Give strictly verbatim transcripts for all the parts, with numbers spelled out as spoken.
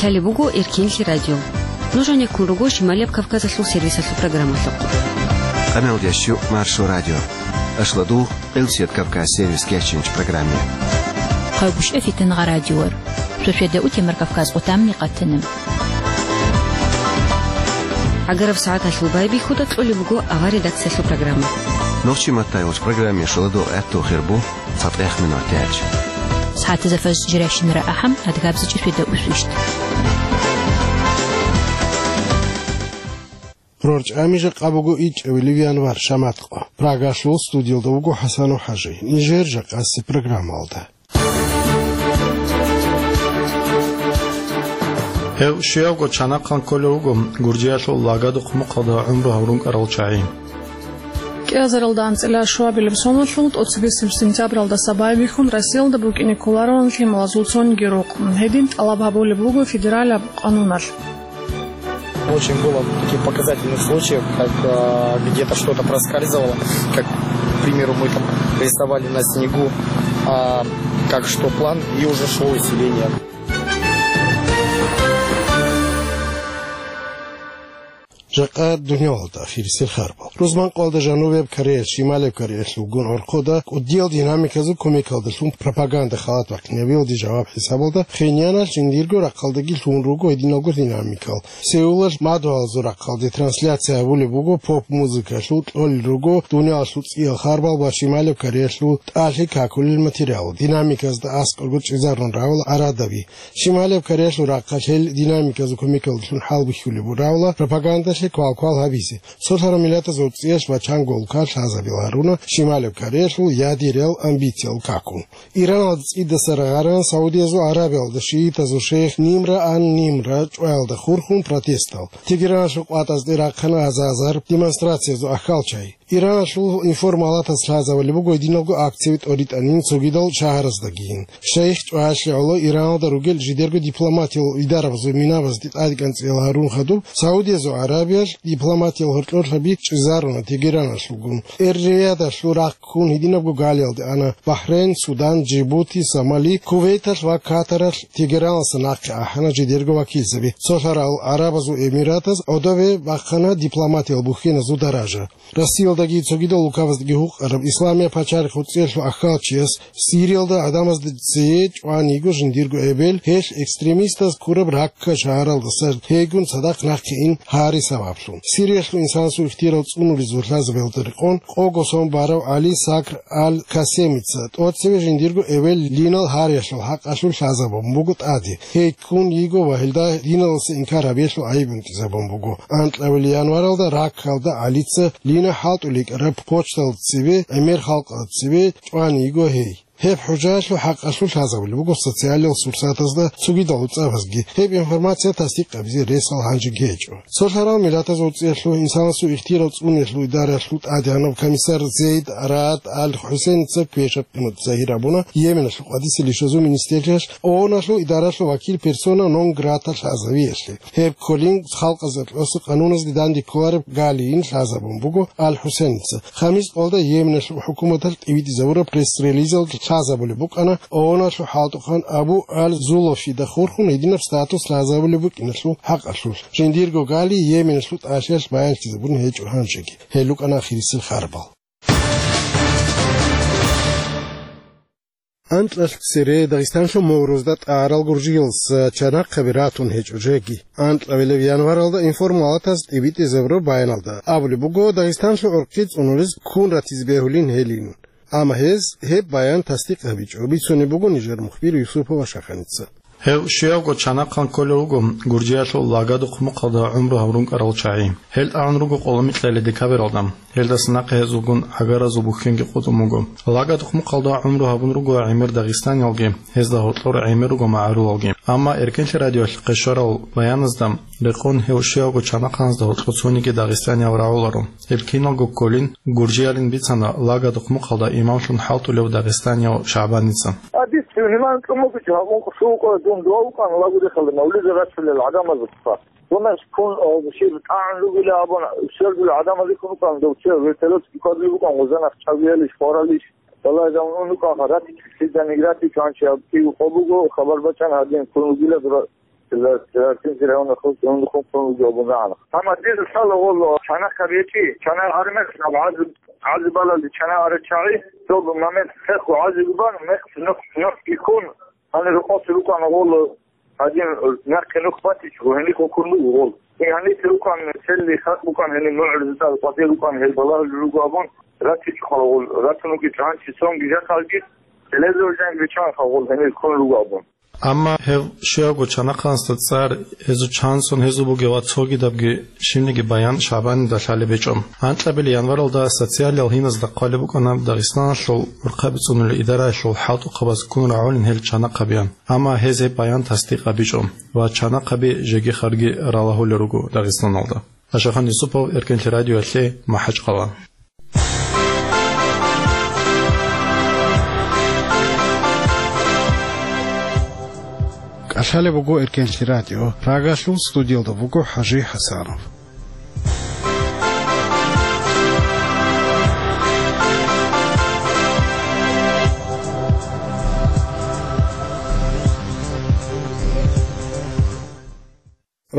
Лъалеб буго Эркенлъи радио. Нуж гьанеккун руго Шималияб Кавказалъул сервисалъул программалъухъ. Къамелдящу Маршо радио. Ашладу, Къилсият Кавказ сервис кечинч программе. Хъайгушев Фитангъа радиор. Сосведа утемар Кавказ къутамни къатана. Агараб сагӀаталъул байбихьуда кьолеб буго авар редакциялъул программа. Нохчи маттайулъ программе шуладу гӀатту хирбу. ЦатӀех минутач. СагӀатазда фаз жиращинара ахӀам, адгабзичӀи фида усвищ. РорчӀами жакъа буго ичӀавилив январ, шаматкъо. Прагалъул студиялда вуго ХӀасану ХӀажи. Нижер жакъаси программалда. Гьев щивго чанахъан кколев вуго Гуржиялъул Лагадухъ мухъалда гӀумру гьабурун кӀарал чагӀи. КӀиазаралда анцӀила шуабилеб соналъул тӀоцебесеб сентябралдаса байбихьун Россиялда букӀине кколароан лъималазул цониги рукъ. Гьедин тӀалаб гьабулеб буго федералияб къануналъ. Очень было таких показательных случаев, как, э, где-то что-то проскальзывало, как, к примеру, мы там рисовали на снегу, а, как что план, и уже шло усиление. Жакъа дунялалда ахирисел харбал. Рузманкъоялда Жанубияб Кореялъ, Шималияб Кореялъул гун гӀорхъода кӀудиял динамиказул кумекалдалъун пропаганда халат бахъинабиялде жаваб хӀисабалда Пхеньяналъ жиндирго рахъалдаги лъун руго гьединалго динамикал. Сеулалъ мадугьалазул рахъалде трансляция гьабулеб буго поп-музыкалъул, кьолел руго дунялалъул цӀиял харбал ва Шималияб Кореялъул тӀалъи какулел материал. Динамиказда аскӀорго чӀезарун равал арадаби. Шималияб Кореялъул рахъалъ гьел динамиказул кумекалдалъун хӀалбихьулеб буго равла пропагандалъе квал-квал гьабизе. Цолъарал миллатазул цӀиялъ ва чанго улкалъ лъазабил гьаруна Шималияб Кореялъул ядериял амбициял какун. Иранал цӀидаса рагъаран Саудиязул Арабиялда шиитазул шейх Нимра ан Нимра чӀваялда хурхун протестал. Тегераналъул къватӀазде рахъана азазар демонстрациязул ахьалчай. Иранлъул информалатас лъазабулеб буго гьединалго акцияби тӀоритӀанин цогидал шагьараздагийин. Шайх чӀваялъе гӀоло Ираналда ругел жидерго дипломатиял идарабазул минабазде тӀадекӀанцӀиял гьарун хадуб, Саудиязул Арабиялъ дипломатиял гьоркьорлъаби чӀезаруна Тегераналъулгун. Эр-Риядалъул рахъ ккун гьединабго галиялде ана Бахрейн, Судан, Джибути, Сомали, Кувейталъ ва Катаралъ. Тегераналдаса нахъе ахӀана жидерго вакилзаби. Цолъарал ГӀарабазул Эмиратаз гӀодове бахъана дипломатиял бухьеназул даража. Россиялдаги цогидал улкабаздаги гьукъараб Исламияб пачалихъ гьуцӀиялъул ахьалчияс Сириялда гӀадамазда цее чӀван йиго жиндирго эбел, гьелъ экстремистаз ккураб Ракка шагьаралдаса гьейгун цадахъ нахъе ин гьари сабаблъун. Сириялъул инсанасул ихтияр цӀунулезул лъазабиялда рекъон къого сон барав ГӀали Сакр аль-Касемица тӀоцеве жиндирго эбел Линал гьариялъул хӀакъалъулъ лъазабун буго тӀаде. Гьей ккун йиго ва гьелда диналдаса инкар гьабиялъул гӀайиб унтӀизабун буго. Анкьабилеб январалда Раккалда ГӀалица Лина хӀалтӀулел йикӀараб почталда цеве, гӀемер халкъалда цеве чӀван йиго гьей. Гьеб хӀужаялъул хӀакъалъулъ лъазабулеб буго социалиял сурсатазда цогидал гӀуцӀабазги. Гьеб информация тасдикъ гьабизе ресал гьанжеги гьечӀо. Цолъарал миллатазул цӀиялъул инсанасул ихтияр цӀунулъул идараялъул тӀадегӀанав комиссар Зейд Раад аль-ХӀусейница квешаб къимат загьир гьабуна Йеменалъул къватӀиса лишазул министрлъиялъ ООНалъул идаралъул вакил персона нон грата лъазавиялъе. Гьеб кколин халкъазда кьоса къануназде данде кколареб галиин лъазабун буго аль-ХӀусейница. Хамис къолда Йеменалъул хӀукуматалъ тӀибитӀизабураб пресс-релизалда лъазабулеб букӀана ООНалъул хӀалтӀухъан Абу аль-Зулофида хурхун гьединаб статус лъазабулеб букӀиналъул хӀакъалъулъ. Жиндирго гали Йеменалъул тӀалъиялъ баянлъизабун гьечӀо гьанжеги. Гьел рукӀана ахирисел харбал. Анкьалъ цере Дагъистанлъул морузда тӀарал гуржиялдаса чанахъаби ратун гьечӀо жеги. Анкьабилеб январалда информалатаз тӀибитӀизабураб баяналда абулеб буго, Дагъистанлъул гӀурхъи цӀунулез ккун ратизе бегьулин гьелин. Амма гьез гьеб баян тасдикъ гьабичӀо, бицунеб буго нижер мухбир Юсупова Шаханица. Гьев щивго чанахъан кколев вуго Гуржиялъул Лагадухъ мухъалда гӀумру гьабурун кӀарал чагӀи. Гьел тӀагӀун руго къоломикьалиде кабералда. Гьелдаса нахъе гьезулгун гӀагаразул бухьенги къотӀун буго. Лагадухъ мухъалда гӀумру гьабун руго гӀемер дагъистаниялги, гьезда гьоркьор гӀемер руго магӀарулалги. Амма Эркенлъи радиоялъухъе щварал баяназда рекъон гьев щивго чанахъаназда гьоркьор цониги дагъистаниял рагӀуларо. Гьеб киналго кколин, гуржиялин бицана Лагадухъ мухъалда имамлъун хӀалтӀулев дагъистанияв ШагӀбаница. Гьадис гьуниван кумукич гьабун къушулкъа дун дуавукъан лагурихъалда мавлида рачулел гӀадамазухъа. Дунас кун, э, щиб тӀагӀун ругила абун, щердул гӀадамазе кун рукъан, довче вертолетски квадли букӀан, гъузанах чӀавиялищ, хваралищ. Валлагь, замун рукъан, ратичи, сиданик ратичи, анчи аб кив къо буго, хабар бачӀан гьадин кун ругила дура. Лартинси районахъ хъун, хъун, хъун ругел абун рагӀана. Амма дир лъала гъоло чанахъ гьаб гьечӀи, чанахъ гьармехъ гьаб гӀазаб, гӀазаб балалде чанахъ гьарачагӀи, цо момент хехго гӀазаб бан, мехъ нух, нухги ккун, гьанир рукъалъ рукӀана гъоло, гьадин нахъе нух батичӀого, гьенихъ ккун буго гъол. Гьанир рукӀан цели хатӀ букӀан гьенир нугӀрузда къватӀир рукӀан гьел балагьулел руго абун, ратичӀо гъол, ратун ругел чӀанчи цонги жакъалги, телевизор жанги биччан гъол гьенир ккун руго абун. Амма гьев щивго чанахъанасда цӀар, гьезул чан сон гьезул бугеб ва цогидабги щибниги баян ШагӀбанида лъалеб гьечӀо. Анкьабилеб январалда социалиял гьиназда хъвалеб букӀана Дагъистаналъул урхъаби цӀунулел идараялъул хӀалтӀухъабаз ккун рагӀулин гьел чанахъабиян, амма гьез гьеб баян тасдикъ гьабичӀо ва чанахъаби жеги-харги ралагьулел руго Дагъистаналда. Ашахан Юсупов, Эркенлъи радиоялъе, МахӀачхъала. КӀалъалеб буго Эркенлъи радио. Прагалъул студиялда буго ХӀажи ХӀасанов.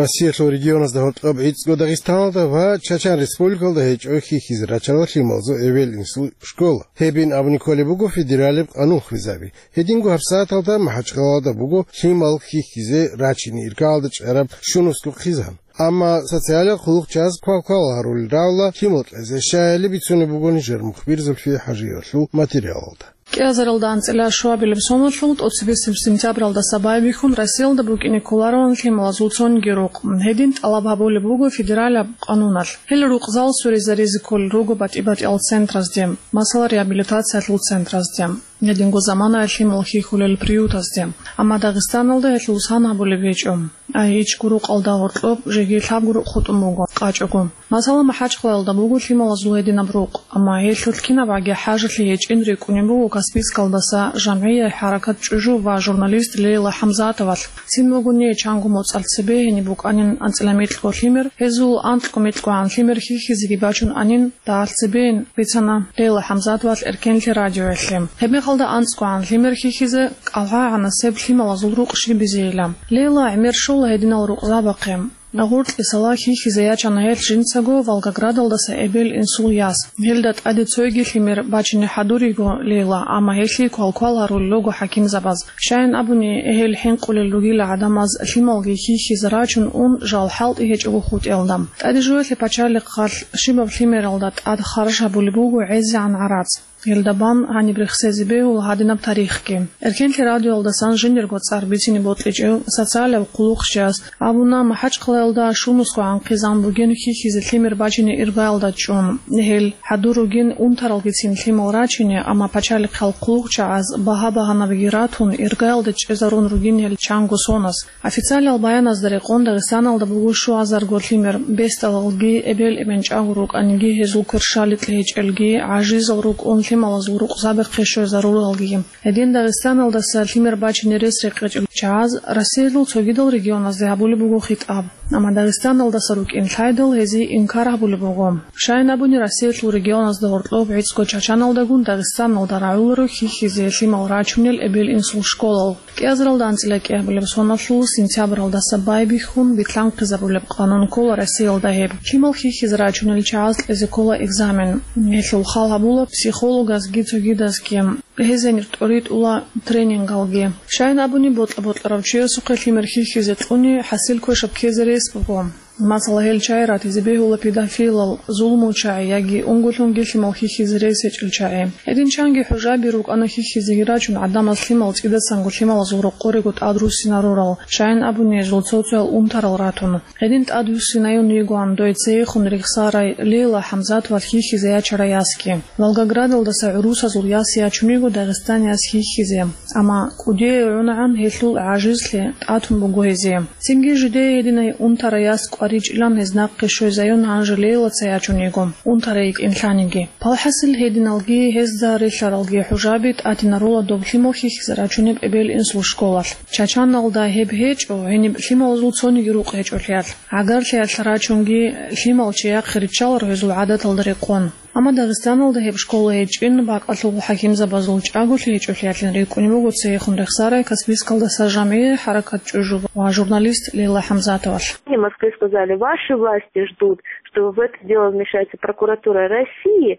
Россиялъул регионазда гьоркьоб гӀицӀго Дагъистаналда ва Чачан Республикалда гьечӀо хьихьизе рачарал лъималазул эбел-инсул школа. Гьебин абуни кколеб буго федералияб къанун хвезаби. Гьединго гьабсагӀаталда МахӀачхъалада буго лъимал хьихьизе рачине иргаялда чӀараб щунусго хъизан. Амма социалиял хъулухъчияз квалквал гьарулел рагӀула лъимал кьезе, щайили бицунеб буго нижер мухбир Зульфия ХӀажиевалъул материалалда. КӀиазаралда анцӀила щуабилеб соналъул тӀоцебесеб сентябралдаса байбихьун Россиялда букӀине кколароан лъималазул цониги рукъ. Гьедин тӀалаб гьабулеб буго федералияб къануналъ. Гьел рукъзал сверизаризе кколел руго батӀи-батӀиял центразде, масала, реабилитациялъул центразде, гьединго заманаялъ лъимал хьихьулел приютазде. Амма Дагъистаналда гьелъул сан гьабулеб гьечӀо. АгьичӀго рукъалда гьоркьоб жеги лъабго рукъ хутӀун буго, къачӀого. Масала, МахӀачхъалаялда буго лъималазул гьединаб рукъ, амма гьелъулъ кинабгӀаги хӀажалъи гьечӀин рикӀкӀунеб буго Каспийскалдаса жамгӀияй хӀаракат чӀужу ва журналист Лейла ХӀамзатовалъ. Цин бугони, чанго моцӀалъ цебе гьениб букӀанин анцӀила микьго лъимер, гьезул анкьго микьгогӀан лъимер хьихьизеги бачун анин, дагьалъ цебейин, бицана Лейла ХӀамзатовалъ Эркенлъи радиоялъе. Гьебмехалда анцӀгогӀан лъимер хьихьизе кӀалгӀагӀанасеб лъималазул рукъ щиб бизейилан. Лейла гӀемер щола гьединал рукъзабахъе. Гъуркьисала хьихьизе ячана гьелъ жинцаго Волгоградалдаса эбел-инсул яс. Гьелда тӀаде цойги лъимер бачине хӀадуриго Лейла, амма гьелъие квалквал гьарулел руго хӀакимзабаз. Щайин абуни, гьел хӀинкъулел ругила гӀадамаз лъималги хьихьизе рачун ун жал хӀалтӀи гьечӀого хутӀиялда. ТӀаде жуялъе пачалихъалъ щибаб лъимералда тӀад харж гьабулеб буго гӀезегӀан гӀарац. Гьелда бан гьаниб рехсезе бегьула гьадинаб тарихги. Эркенлъи радиоялдасан жиндирго цӀар бицине бокьичӀев социалияб хъулухъчияс абуна, МахӀачхъалаялда щунусгогӀан хъизан бугин хьихьизе лъимер бачине иргаялда чӀун. Гьел хӀадур ругин унтаралгицин лъимал рачине, амма пачалихъал хъулухъчагӀаз багьа-багьанабиги ратун, иргаялде чӀезарун ругин гьел чанго соназ. Официалиял баяназда рекъон, Дагъистаналда буго щуазарго лъимер, бесдалалги, эбел-эмен чӀаго рукӀаниги, гьезул кверщаликь гьечӀелги, гӀажизал рукӀун лъималазул рукъзабихъе щвезарулалги. Гьедин Дагъистаналдаса лъимер бачине рес рекъечӀел чагӀаз Россиялъул цогидал регионазде гьабулеб буго хитӀаб. Амма Дагъистаналдаса рукӀин лъайдал, гьезие инкар гьабулеб буго. Щайин абуни, Россиялъул регионазда гьоркьоб гӀицӀго Чачаналдагун Дагъистаналда рагӀуларо хьихьизе лъимал рачунел эбел-инсул школал. КӀиазаралда анцӀила кӀиабилеб соналъул сентябралдаса байбихьун битлъанхъизабулеб къанун ккола Россиялда гьеб. Лъимал хьихьизе рачунел чагӀаз кьезе ккола экзамен. Гьелъул хал гьабула психологазги цогидазги. Гьез гьенир тӀоритӀула тренингалги. Щайин абуни, бокьа-бокьарав чиясухъе лъимер хьихьизе кьуни хӀасил квешаб ккезе рес буго. Масала, гьел чагӀи ратизе бегьула педофилал, зулмучагӀи яги унго-лъунги лъимал хьихьизе рес гьечӀел чагӀи. Гьедин чанги хӀужаби рукӀана хьихьизеги рачун гӀадамаз лъимал цӀидасанго лъималазул рокъорего тӀадруссинарурал, щайин абуни, гьезул цо-цоял унтарал ратун. Гьедин тӀадвуссинаюн йигоан дой цейхун рехсарай Лейла ХӀамзатовалъ хьихьизе ячарай ясги. Волгоградалдаса гӀурусазул яс ячун йиго Дагъистанияс хьихьизе. Амма кӀудияй гӀунагӀан гьелъул гӀажизлъи тӀатун буго гьезие. Цинги жидее гьединай унтарай яс кӀваричӀилан гьез нахъе щвезаюн гьанже Лейлаца ячун йиго, унтарай йикӀин лъаниги. Палхасил гьединалги гьезда релълъаралги хӀужаби тӀатинарула доб лъимал хьихьизе рачунеб эбел-инсул школалъ. Чачаналда гьеб гьечӀо, гьениб лъималазул цониги рукъ гьечӀолъиялъ. ГӀагарлъиялъ рачунги лъимал чияхъе риччаларо гьезул гӀадаталда рекъон. Амма Дагъистаналда гьеб школа гьечӀин, бакӀалъул хӀакимзабазул чӀаголъи гьечӀолъиялъин рикӀкӀунеб буго цейихун рехсарай Каспийскалдаса жамгӀи ХӀаракат ЧӀужу ва журналист Лейла ХӀамзатовалъ. В Москве сказали: «Ваши власти ждут, что в это дело вмешается прокуратура России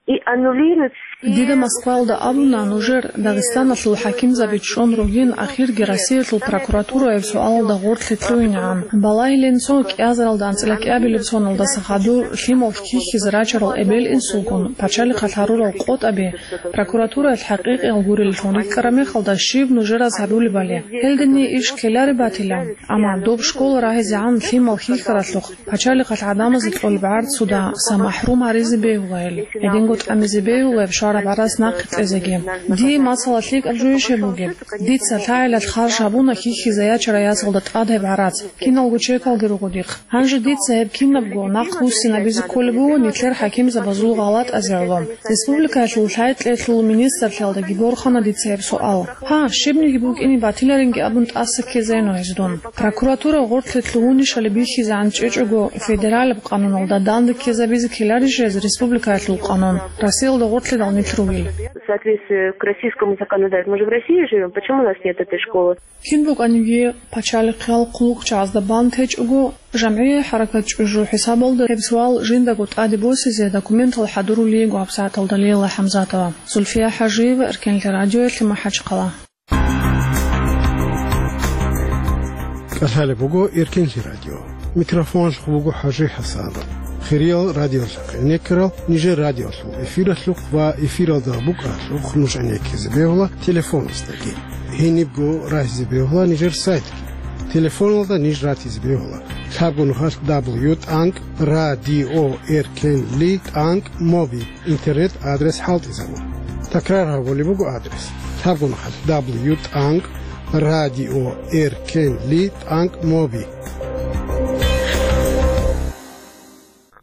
и аннулирует все». Дида Москваялда абуна, нужер Дагъистаналъул хӀакимзаби чӀун ругин, ахирги Россиялъул прокуратура гьеб суалалда гъорлъе лъугьинегӀан. Балагьилин цо кӀиазаралда анцӀила кӀиабилеб соналдаса хадур лъимал хьихьизе рачарал эбел-инсулгун пачалихъалъ гьарурал къотӀаби прокуратураялъ хӀакъикъиял гуреллъун рикӀкӀараб мехалда щиб нужераз гьабулебали? Гьелдани иш ккелареб батила. Амма доб школа рагьизегӀан лъимал хьихьаралъухъ, пачалихъалъ гӀадамазе кьолеб гӀарцуда са махӀрум гьаризе бегьула гьел. Гьединго тӀамизе бегьула гьеб швараб гӀарац нахъе кьезеги. Дие масала лъикӀаб жо ишеб бугеб. Дица лъагӀелалъ харж гьабуна хьихьизе ячарай ясалда тӀад гьеб гӀарац. Киналго чекалги руго дихъ. Гьанже дица гьеб кинабго нахъ буссинабизе кколеб буго нилъер хӀакимзабазул гъалатӀазе гӀоло. Республикаялъул лъай-кьеялъул министрлъиялдаги борхана дица гьеб суал. Гьа, щибниги букӀине батиларинги абун тӀаса ккезайин гьез дун. Прокуратура гъорлъе лъугьунищали бихьизегӀан чӀечӀого федералаб къануналда данде ккезабизе ккеларищ гьез республикаялъул къанун, Россиялда гъорлъидал нилъ ругел? В соответствии к российскому законодательству, мы же в России живем, почему у нас нет этой школы? Кин букӀаниги пачалихъиял хъулухъчагӀазда бан течӀого, жамгӀи ХӀаракат ЧӀужу хӀисабалда гьеб суал жиндаго тӀаде босизе документал хӀадурулей йиго гьабсагӀаталда Лейла ХӀамзатова. Зульфия ХӀажиева, Эркенлъи радиоялъе, МахӀачхъала. КӀалъалеб буго Эркенлъи радио. Микрофоналъухъ буго ХӀажи ХӀасан. Хириял радиолъахъ гӀенеккарал нижер радиолъул эфиралъухъ ва эфиралда букӀаралъухъ нуж гӀенеккизе бегьула телефонасдаги. Гьенибго рагьизе бегьула нижер сайтги. Телефоналда ниж ратизе бегьула: лъабго нухалъ дабл ю тӀанкӀ радио эркенли тӀанкӀ моби интернет адрес хӀалтӀизабун. Такрар гьабулеб буго адрес: лъабго нухалъ дабл ю тӀанкӀ радио эркенли тӀанкӀ моби.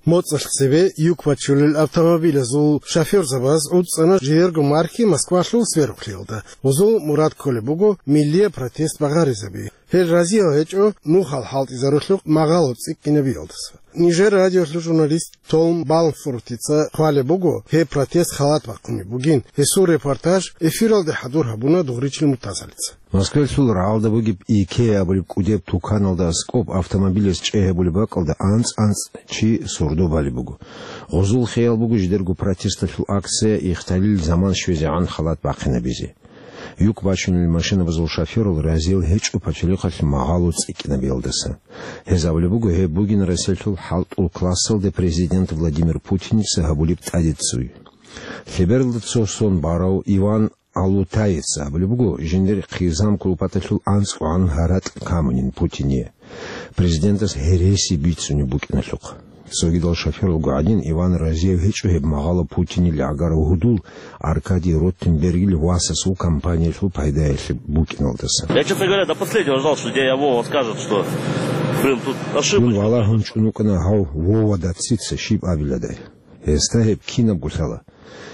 МоцӀалъ цебе юк бачулел автомобилазул шофёрзабаз гӀуцӀана жиерго мархи Москвалъул сверухълъиялда. Гъузул мурад кколеб буго миллияб протест багъаризаби. Гьел разиял гьечӀо нухал хӀалтӀизарулъухъ магъало цӀикӀкӀинабиялдаса. Нижер радиолъул журналист Том Балфортица хъвалеб буго, гьеб протест халат бахъунеб бугин. Гьесул репортаж эфиралде хӀадур гьабуна Дугъричил Муртазалица. Москвалъул рагӀалда бугеб Икеа абулеб кӀудеб туканалда аскӀоб автомобилаз чӀей гьабулеб бакӀалда анцӀ-анцӀ чи сордо балеб буго. Гъузул хиял буго жидерго протесталъул акция ихталил заман щвезегӀан халат бахъинабизе. Юк бачунел машинабазул шофёрал разиял гьечӀо пачалихъалъ магъало цӀикӀкӀинабиялдаса. Гьез абулеб буго, гьеб бугин Россиялъул хӀалтӀул классалде президент Владимир Путиница гьабулеб тӀадеццуй. Лъебералда цо сон барав Иван Алутаец абулеб буго, жиндир хъизан кулпаталъул анцӀгогӀан гьаратӀ камунин Путине. Президентас гьереси бицунеб букӀиналъухъ. Цогидал шофёралго гӀадин, Иван разияв гьечӀо гьеб магъало Путинил гӀагарав гьудул Аркадий Ротенбергил васасул компаниялъул пайдаялъе букӀиналдаса. Я, честно говоря, до последнего ждал, что дядя Вова скажет, что, блин, тут ошибочка. Дун валагьун чӀун вукӀана гьав Вовада цица щиб абиладай. Гьесда гьеб кинабго лъала.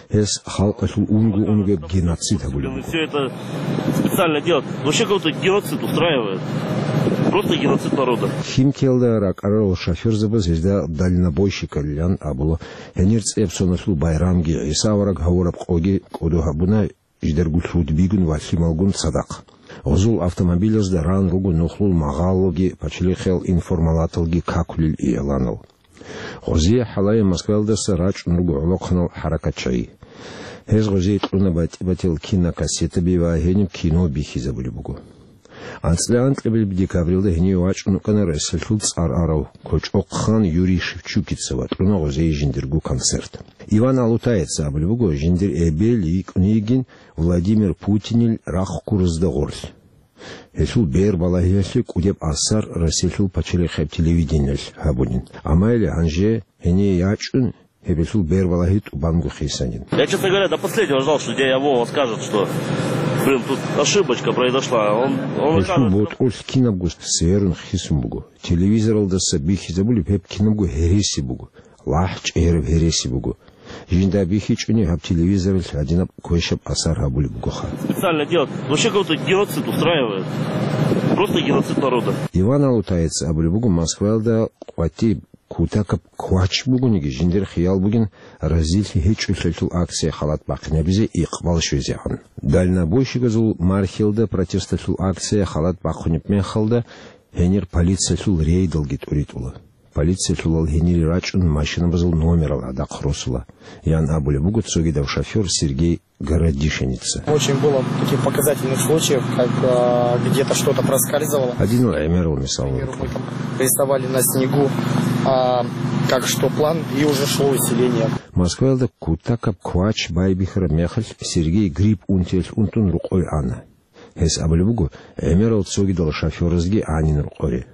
Гьес халкъалъул унго-унгояб геноцид гьабулеб буго. Все это специально делать. Вообще какой-то геноцид устраивает. Просто геноцид народа. Химкиялда ракӀарарал шофёрзабаз гьезда дальнобойщикалилан абула. Гьенир цӀеб соналъул байрамги, ГӀиса авараг гьавураб къоги кӀодо гьабуна, жидерго лъудбигун ва лъималгун цадахъ. Гъузул автомобилазда ран руго нухлул магъалоги, пачалихъиял информалаталги какулел ияланал. Гъозие хӀалае Москваялдаса рачӀун руго гӀолохъанал хӀаракатчагӀи. Гьез гъозие кьуна батӀи-батил кинокассетаби ва гьениб кино бихьизабулеб буго. АнцӀила анкьабилеб декабрилда гьенив вачӀун вукӀана Россиялъул цӀар арав кочӀохъан Юрий Шевчукица ва кьуна гъозие жиндирго концерт. Иван Алутаеца абулеб буго, жиндир эбел йикӀун йигин Владимир Путинил рахъ ккуразда гъорлъ. Гьелъул бербалагьиялъе кӀудеб асар Россиялъул пачалихъеб телевидениялъ гьабунин. Амма гьеле гьанже гьение ячӀун, гьебелъул бербалагьи тӀубанго хисанин. Я, честно говоря, до последнего ждал, что дядя Вова скажет, что, блин, тут ошибочка произошла. Он, он... Гьелъул ботӀрулъ кинабго сверун хисун буго. Телевизоралдаса бихьизабулеб гьеб кинабго гьереси буго. ЛахӀ чӀегьераб гьереси буго. Жинда бихьичӀони гьаб телевизоралъ гьадинаб квешаб асар гьабулеб бугоха. Специально делать. Вообще какой-то геноцид устраивает. Просто геноцид народа. Иван Алутаец абулеб буго, Москваялда къватӀиб Кутакаб квач бугониги, жиндир хиял бугин разилъи гьечӀолъиялъул акция халат бахъинабизе икъбал щвезегӀан. Дальнобойщикзул Мархьилда протесталъул акция халат бахъунеб мехалда, гьенир полициялъул рейдалги тӀуритӀула. Полициялъулал гьенире рачӀун машинабазул номерал гӀадахъ росула, ян абулеб буго цогидав шофёр Сергей Городишиница. Очень было таких показательных случаев, как, а, где-то что-то проскальзывало. Гьадинал гӀемерал мисалал рукӀуна. Рисовали на снегу, а, как что план, и уже шло усиление. Москваялда кутакаб квач байбихьараб мехалъ Сергей грипп унтиялъ унтун рукъове ана. Гьес абулеб буго, гӀемерал цогидал шофёразги гӀанин рукъоре.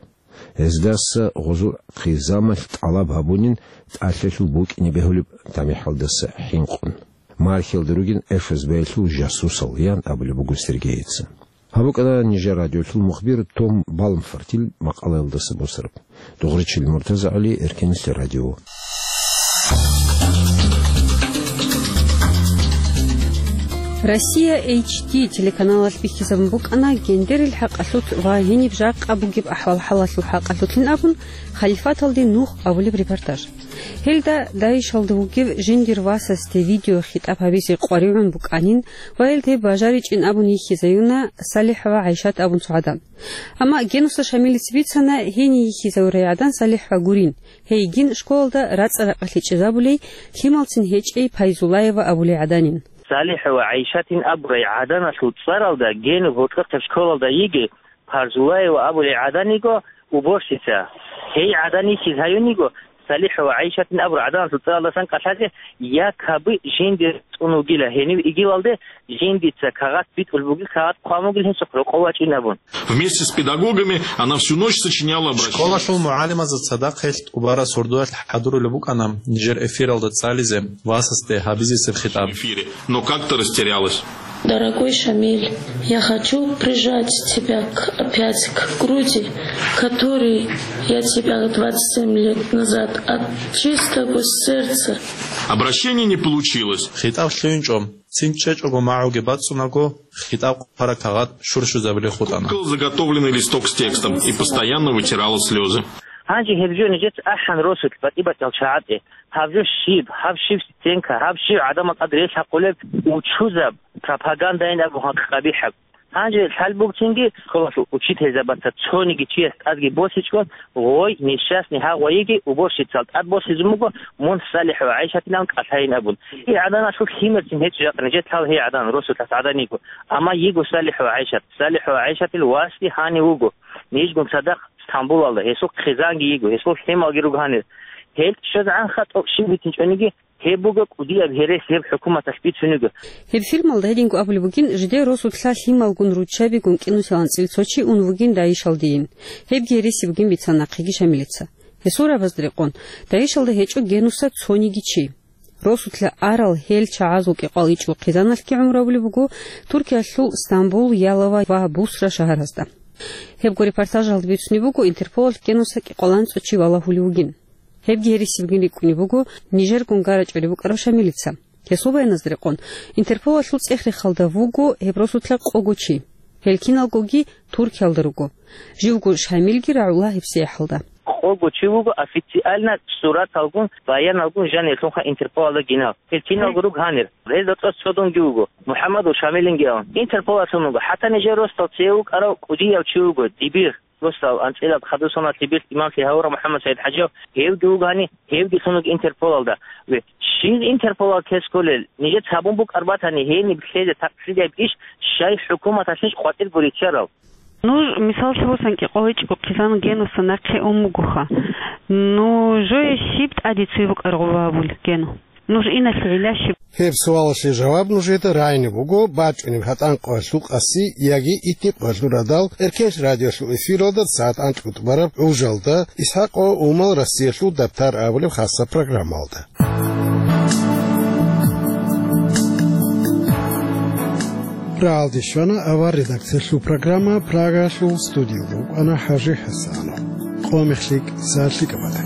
Гьездаса гъозул хъизамалъ тӀалаб гьабунин тӀалъалъул букӀине бегьулеб тамихӀалдаса хӀинкъун. Мархьилда ругин ФСБ-ялъул жасусал, ян абулеб буго Сергейица. Гьаб букӀана нижер радиолъул мухбир Том Балмфортил макъалаялдаса босараб. Дугъричил МуртазагӀали, Эркенлъи радио. Россия H D телеканалалъ бихьизабун букӀана гендерил хӀакъалъулъ ва гьениб жакъа бугеб ахӀвал-хӀалалъул хӀакъалъулъин абун, халифаталде нух абулеб репортаж. Гьелда ДАИШалда вугев жиндир васасде видеохитӀаб гьабизе къваригӀун букӀанин ва гьелде бажаричӀин абун йихьизаюна СалихӀ ва ГӀайшат абун цо гӀадан. Амма Генуса Шамилица бицана, гьенив йихьизавурай гӀадан СалихӀ ва гурин, гьейгин школалда рацӀа-ракъалъи чӀезабулей, лъималцин гьечӀей Пайзулаева абулей гӀаданин. СалихӀ ва ГӀайшатин абурай гӀаданалъул цӀаралда Генуб гьоркьохъеб школалда йигей Пайзулаева абулей гӀадан йиго уборщица. Гьей гӀадан йихьиз гьаюн йиго СалихӀ ва ГӀайшатин абурай гӀаданалъул цӀаралдасан кӀалъазе, якобы жиндир цӀун вугила, гьенив игивалде жиндица кагъат битӀулеб бугил, кагъат хъван бугил гьесухъ рокъов вачӀин абун. Вместе с педагогами она всю ночь сочиняла обращение. Школалъул мугӀалимазда цадахъ гьелъ тӀубараб сордоялъ хӀадурулеб букӀана нижер эфиралда цӀализе васасде гьабизесеб хитӀаб. Эфире. Но как-то растерялась. Дорогой Шамиль, я хочу прижать тебя к, опять к груди, которой я тебя двадцать семь лет назад от чистого сердца. Обращение не получилось. ХитӀаб лъугьинчӀо. Цин чӀечӀого магӀуги бацӀцӀунаго, хитӀаб хъвараб кагъат щурщузабулей хутӀана. Пукал заготовленный листок с текстом и постоянно вытирала слезы. Гьанже гьеб жо нижеца ахӀан росулъ батӀи-батӀиял чагӀазде. Гьаб жо щиб, гьаб щиб стенка, гьаб щиб гӀадамал тӀад релъ гьабулеб учузаб, пропагандайин абун гьакъ къабихӀаб. Гьанже лъалбугцинги школалъул учительзабаца цониги чияс тӀадги босичӀого, гъой, несчастный гьагъ вайиги, уборщицал тӀад босизун буго, мун СалихӀ ва ГӀайшатилан кӀалъайин абун. И гӀаданалъул лъимерцин гьечӀо жакъа нижетлъал гьей гӀадан, росулъас гӀадан йиго. Амма йиго СалихӀ ва ГӀайшат. СалихӀ ва ГӀайшатил васги гьанив вуго. Нижгун цадахъ Стамбулалда, гьесул хъизанги йиго, гьесул лъималги руго гьанир. Гьел щвезегӀанха тӀокӀ щиб битинчӀониги, гьеб буго кӀудияб гьересияб хӀукуматалъ бицун йиго. Гьеб фильмалда гьединго абулеб бугин, жидер росулъа лъималгун руччабигун кӀинусилан цӀил цо чи ун вугин ДАИШалдейин. Гьебги гьереси бугин бицана нахъеги Шамилица. Гьесул рагӀабазда рекъон, ДАИШалда гьечӀо Генуса цониги чи. Росулъа арал гьел чагӀазул кӀикъвал ичӀго хъизаналъги гӀумру гьабулеб буго Туркиялъул Стамбул, Ялова ва Бусра шагьаразда. Гьебго репортажалда бицунеб буго, Интерполалъ Генуса кӀикъваланцӀо чи валагьулев вугин. Гьебги гьереси бугин рикӀкӀунеб буго нижер гунгарачӀолеб букӀарав Шамилица. Гьесул баяназда рекъон, Интерполалъул цӀех-рехалда вуго гьеб росулъа къого чи. Гьел киналгоги Туркиялда руго. Живго Шамилги рагӀула гьебсагӀаталда. Къого чи вуго официально сураталгун, баяналгун жанирлъунха Интерполалда гинав. Гьел киналго руго гьанир. Гьел рацӀцӀад цо дунги вуго. МухӀаммадов Шамилинги авун. Интерполалъун вуго. ХӀатта нижер росдал цеве вукӀарав кӀудияв чи вуго. Дибир. Росдал анцӀила хадусуналъе бертӀ имамлъи гьавурав МухӀаммад СагӀид ХӀажиев, гьевги вугани, гьевги лъунаги Интерполалда. Ве, щиб Интерполалда кколел, нижеца гьабун букӀар батани, гьениб лъезе такълъидайб иш, щай хӀукуматалъищ къватӀирго риччарал? Нуж, мисаллъи босани, кӀикъвалда ичӀго хъизан Генуса нахъе ун бугоха. Нужее щиб тӀаде цеве букӀараб гьабулеб, Гену? Нуж иналъе гӀилла щиб? Гьеб суалалъе жаваб нужеда рагӀине буго бачӀунеб гьатӀан къоялъул къаси яги итни къоялъул радал Эркенлъи радиолъул эфиралда сагӀат анкьго тӀубараб гӀужалда, ИсхӀакъ ва Умал Россиялъул дабтар абулеб хасаб программалда. РагӀалде щвана авар редакциялъул программа, Прагалъул студиялда вукӀана ХӀажи ХӀасанов. Къо мехлъи, сагӀат лъикӀаб бата.